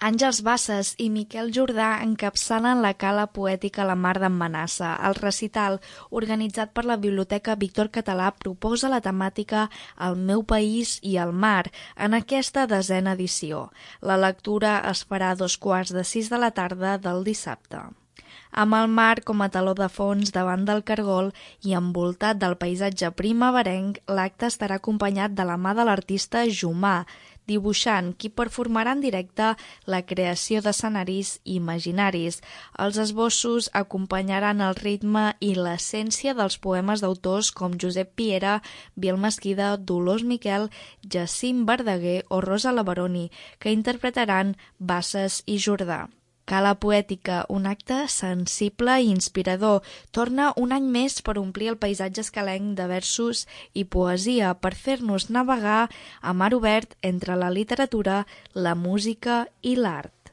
Àngels Bassas i Miquel Jordà encapçalen la Cala Poètica La Mar d'en Manassa. El recital, organitzat per la Biblioteca Víctor Català, proposa la temàtica El meu país i el mar en aquesta 10a edició. La lectura es farà a 15:45 de la tarda del dissabte. Amb el mar com a teló de fons davant del cargol i envoltat del paisatge primaverenc, l'acte estarà acompanyat de la mà de l'artista Jumà, dibuixant, qui performarà en directe la creació d'escenaris imaginaris. Els esbossos acompanyaran el ritme i l'essència dels poemes d'autors com Josep Piera, Biel Mesquida, Dolors Miquel, Jacint Verdaguer o Rosa Lavaroni, que interpretaran Bassas i Jordà. Cala Poètica, un acte sensible i inspirador, torna un any més per omplir el paisatge escalenc de versos i poesia, per fer-nos navegar a mar obert entre la literatura, la música i l'art.